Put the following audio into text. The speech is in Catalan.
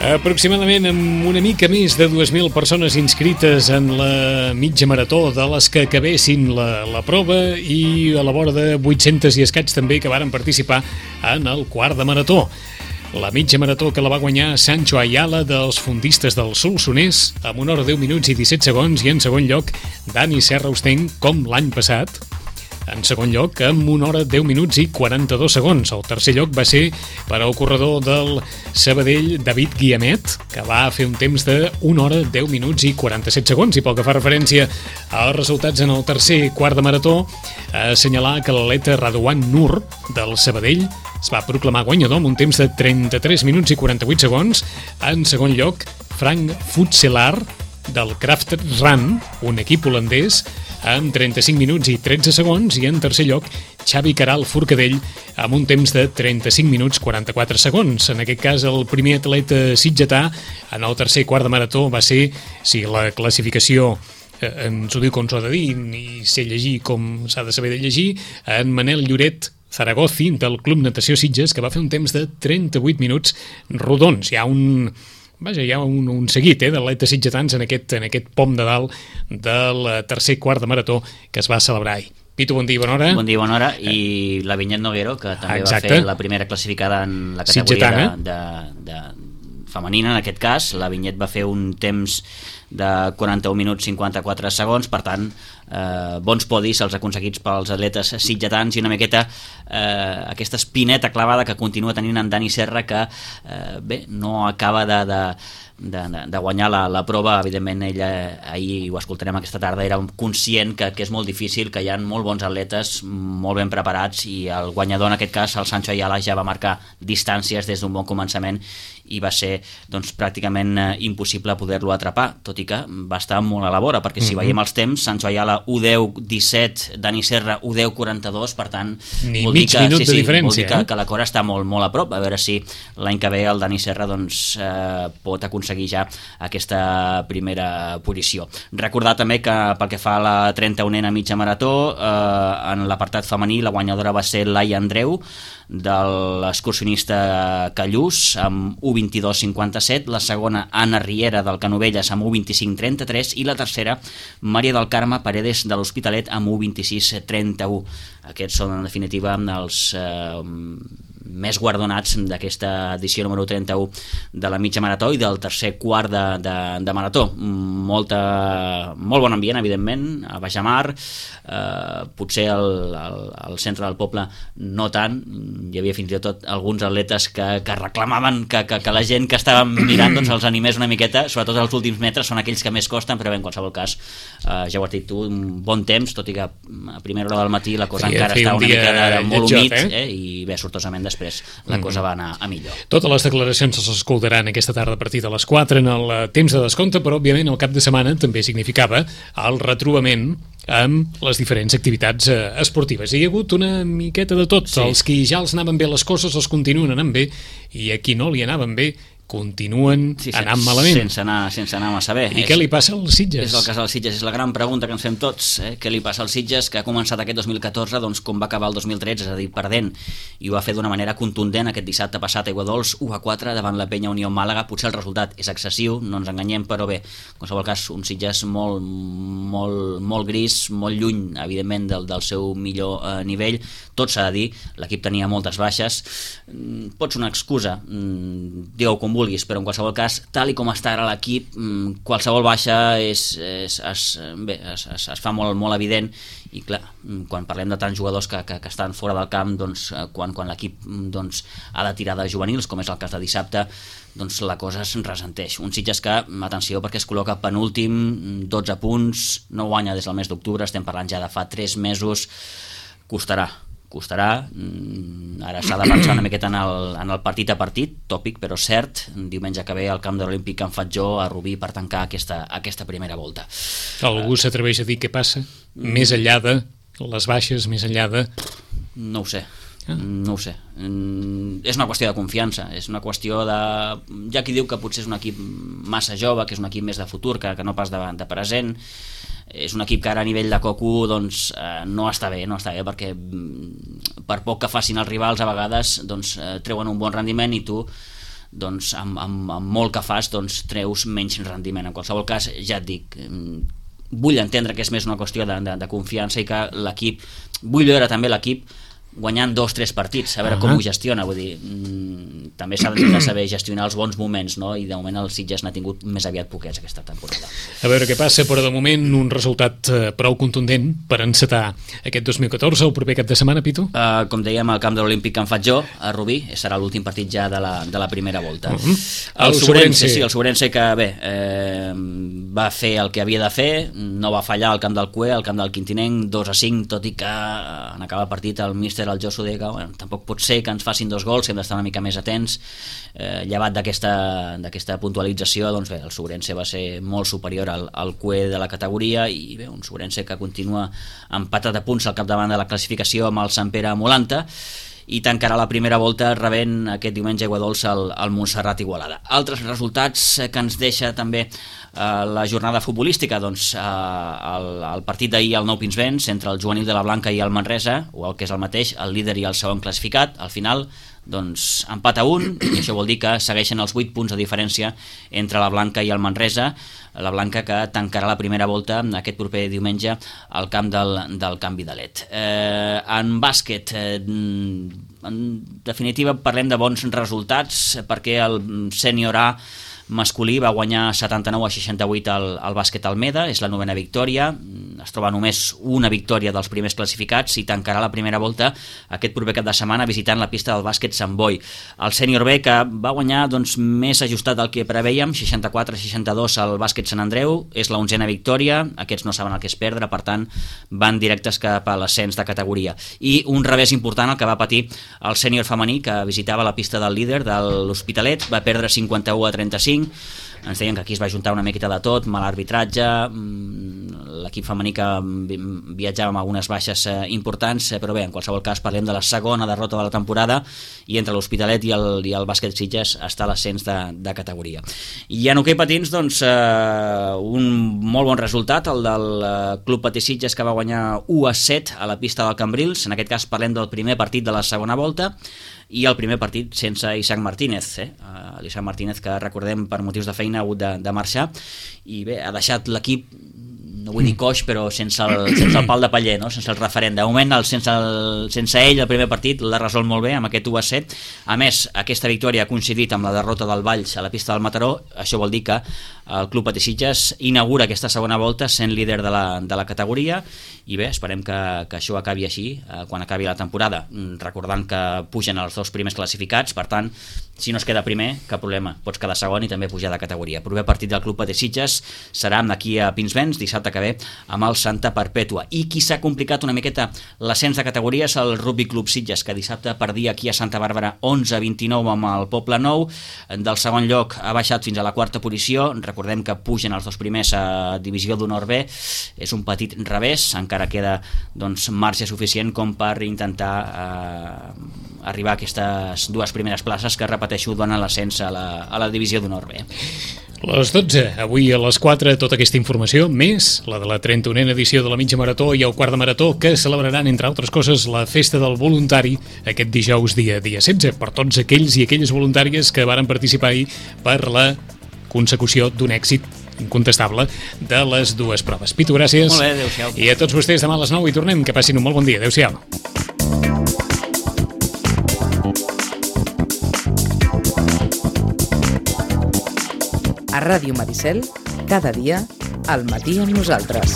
Aproximadament amb una mica més de 2.000 persones inscrites en la mitja marató de les que acabessin la prova i a la vora de 800 i escaig també que varen participar en el quart de marató. La mitja marató que la va guanyar Sancho Ayala dels Fondistes del Solsonès amb 1 hora 10 minuts i 17 segons i en segon lloc Dani Serra Usteny com l'any passat. En segon lloc, amb 1 hora 10 minuts i 42 segons. El tercer lloc va ser per al corredor del Sabadell, David Guiamet, que va fer un temps de 1 hora 10 minuts i 47 segons. I pel que fa referència als resultats en el tercer quart de marató, assenyalar que l'atleta Radwan Nur del Sabadell es va proclamar guanyador amb un temps de 33 minuts i 48 segons. En segon lloc, Frank Futselar del Kraft Run, un equip holandès, amb 35 minuts i 13 segons, i en tercer lloc Xavi Caral Forcadell amb un temps de 35 minuts 44 segons. En aquest cas, el primer atleta sitgetà en el tercer quart de marató va ser, si la classificació ens ho diu com s'ho ha de dir i sé llegir com s'ha de saber de llegir, en Manel Lloret Zaragozi del Club Natació Sitges, que va fer un temps de 38 minuts rodons. Hi ha un seguit d'atletes sitgetans en aquest pom de dalt del tercer quart de marató que es va celebrar ahir. Pitu, bon dia i bona hora. Bon dia i bona hora. I la Vinyet Noguero, que també va fer la primera classificada en la categoria de femenina, en aquest cas. La Vinyet va fer un temps de 41 minuts 54 segons, per tant, bons podis els aconseguits pels atletes sitgetans i una miqueta aquesta espineta clavada que continua tenint en Dani Serra, que no acaba de guanyar la prova. Evidentment, ella, ahir ho escoltarem aquesta tarda, era conscient que és molt difícil, que hi ha molt bons atletes, molt ben preparats, i el guanyador, en aquest cas, el Sancho Ayala, ja va marcar distàncies des d'un bon començament i va ser pràcticament impossible poder-lo atrapar, tot i que va estar molt a la vora, perquè si veiem els temps, Sancho Ayala 1:10:17, Dani Serra 1:10:42, per tant, vol dir que la cora està molt, molt a prop. A veure si l'any que ve el Dani Serra pot aconseguir ja aquesta primera posició. Recordar també que pel que fa a la 31a mitja marató, en l'apartat femení la guanyadora va ser Laia Andreu de l'excursionista Callús amb 1:22:57, la segona Anna Riera del Canovelles amb 1:25:33 i la tercera Maria del Carme Paredes de l'Hospitalet amb 1:26:31. Aquests són en definitiva els més guardonats d'aquesta edició número 31 de la mitja marató i del tercer quart de marató. Molt bon ambient, evidentment, a Bajamar, potser al centre del poble no tant. Hi havia fins i tot alguns atletes que reclamaven que la gent que estava mirant els animés una miqueta, sobretot els últims metres són aquells que més costen, però bé, en qualsevol cas, ja ho has dit tu, un bon temps, tot i que a primera hora del matí la cosa encara estava una mica molt humit, i bé, sortosament després la cosa va anar a millor. Totes les declaracions se l'escoltaran aquesta tarda a partir de les 4 en el temps de descompte, però òbviament el cap de setmana també significava el retrobament amb les diferents activitats esportives. Hi ha hagut una miqueta de tot. Els qui ja els anaven bé les coses els continuen anant bé, i a qui no li anaven bé continuen anant malament. Sense anar massa bé. I què li passa als Sitges? És el cas dels Sitges, és la gran pregunta que ens fem tots. Què li passa als Sitges, que ha començat aquest 2014 com va acabar el 2013, és a dir, perdent, i ho va fer d'una manera contundent aquest dissabte passat a Aiguadols, 1-4 davant la Penya Unió Màlaga. Potser el resultat és excessiu, no ens enganyem, però bé, en qualsevol cas, un Sitges molt gris, molt lluny, evidentment, del seu millor nivell. Tot s'ha de dir, l'equip tenia moltes baixes, pot ser una excusa, digueu com vulguis, però en qualsevol cas, tal i com està ara l'equip, qualsevol baixa es fa molt evident, i clar, quan parlem de tants jugadors que estan fora del camp, quan l'equip ha de tirar de juvenils, com és el cas de dissabte, la cosa es ressenteix. Un Sitges que, atenció, perquè es col·loca penúltim, 12 punts, no guanya des del mes d'octubre, estem parlant ja de fa 3 mesos, costarà. Ara s'ha de pensar una miqueta en el partit a partit, tòpic però cert, diumenge que ve al camp de l'Olímpic Can Fatjó a Rubí per tancar aquesta primera volta. Algú s'atreveix a dir què passa? Més enllà de les baixes, més enllà de... No ho sé. És una qüestió de confiança, és una qüestió de... Hi ha qui diu que potser és un equip massa jove, que és un equip més de futur que no pas de present. És un equip que ara a nivell de Cocu no està bé, perquè per poc que facin els rivals a vegades treuen un bon rendiment i tu doncs amb molt que fas treus menys rendiment. En qualsevol cas, ja et dic, vull entendre que és més una qüestió de confiança i que l'equip, vull veure també l'equip guanyant 2-3 partits, a veure com ho gestiona, vull dir, també s'ha de saber gestionar els bons moments, no? I de moment el Sitges n'ha tingut més aviat poquets aquesta temporada. A veure què passa, però de moment un resultat prou contundent per encetar aquest 2014, el proper cap de setmana, Pitu? Com dèiem, al camp de l'Olímpic que en faig jo, a Rubí, serà l'últim partit ja de la primera volta. El Sobrense que bé, va fer el que havia de fer, no va fallar al camp del Cue, al camp del Quintinenc, 2-5, tot i que en acabar el partit el míster el Josu deia que tampoc pot ser que ens facin 2 gols, hem d'estar una mica més atents. Llevat d'aquesta puntualització, doncs bé, el Sobrense va ser molt superior al Cue de la categoria i bé, un Sobrense que continua empatat a punts al capdavant de la classificació amb el Sant Pere Molanta i tancarà la primera volta rebent aquest diumenge aigua dolça al Montserrat Igualada. Altres resultats que ens deixa també la jornada futbolística, doncs el partit d'ahir al Nou Pinsbens entre el Juvenil de la Blanca i el Manresa, o el que és el mateix, el líder i el segon classificat. Al final, doncs, empat a 1, i això vol dir que segueixen els 8 punts de diferència entre la Blanca i el Manresa, la Blanca que tancarà la primera volta aquest proper diumenge al camp del Can Vidalet. En bàsquet, en definitiva parlem de bons resultats perquè el sènior A masculí va guanyar 79-68 al bàsquet Almeda, és la 9ª victòria, es troba només una victòria dels primers classificats i tancarà la primera volta aquest proper cap de setmana visitant la pista del bàsquet Sant Boi. El sènior B, que va guanyar més ajustat del que preveiem, 64-62 al bàsquet Sant Andreu, és la 11ª victòria, aquests no saben el que és perdre, per tant van directes cap a l'ascens de categoria. I un revés important el que va patir el sènior femení, que visitava la pista del líder de l'Hospitalet, va perdre 51-35. Ens deien que aquí es va juntar una miqueta de tot, mal arbitratge, l'equip femení que viatjava amb algunes baixes importants, però bé, en qualsevol cas parlem de la segona derrota de la temporada i entre l'Hospitalet i el bàsquet Sitges està l'ascens de categoria. I en hoquei patins, doncs, un molt bon resultat, el del Club Patí Sitges, que va guanyar 1-7 a la pista del Cambrils. En aquest cas parlem del primer partit de la segona volta i el primer partit sense Isaac Martínez, l'Isaac Martínez, que recordem per motius de feina ha hagut de marxar i bé, ha deixat l'equip, no vull dir coix, però sense el pal de paller, no? Sense el referent. De moment, sense ell, el primer partit l'ha resolt molt bé amb aquest 1-7. A més, aquesta victòria ha coincidit amb la derrota del Valls a la pista del Mataró. Això vol dir que el Club Patí Sitges inaugura aquesta segona volta sent líder de la categoria i bé, esperem que això acabi així quan acabi la temporada, recordant que pugen els 2 primers classificats, per tant, si no es queda primer, cap problema, pots quedar segon i també pujar de categoria. El proper partit del Club Patí Sitges serà d'aquí a Pinsbens, dissabte que ve, amb el Santa Perpètua. I qui s'ha complicat una miqueta l'ascens de categoria és el Rugby Club Sitges, que dissabte perdia aquí a Santa Bàrbara 11-29 amb el Poble Nou. Del segon lloc ha baixat fins a la 4ª posició. Recordem que pugen els 2 primers a Divisió d'Honor B. És un petit revés, encara queda doncs, marge suficient com per intentar arribar a aquestes 2 primeres places que, repeteixo, donen l'ascens a la Divisió d'Honor B. A les 12, avui a les 4, tota aquesta informació, més la de la 31a edició de la mitja marató i el quart de marató, que celebraran, entre altres coses, la festa del voluntari aquest dijous dia 16, per tots aquells i aquelles voluntàries que varen participar ahir per la consecució d'un èxit incontestable de les 2 proves. Pitu, gràcies. Molt bé, adéu-siau. I a tots vostès demà a les 9 hi tornem. Que passin un molt bon dia. Adéu-siau. A Ràdio Maricel, cada dia, al matí amb nosaltres.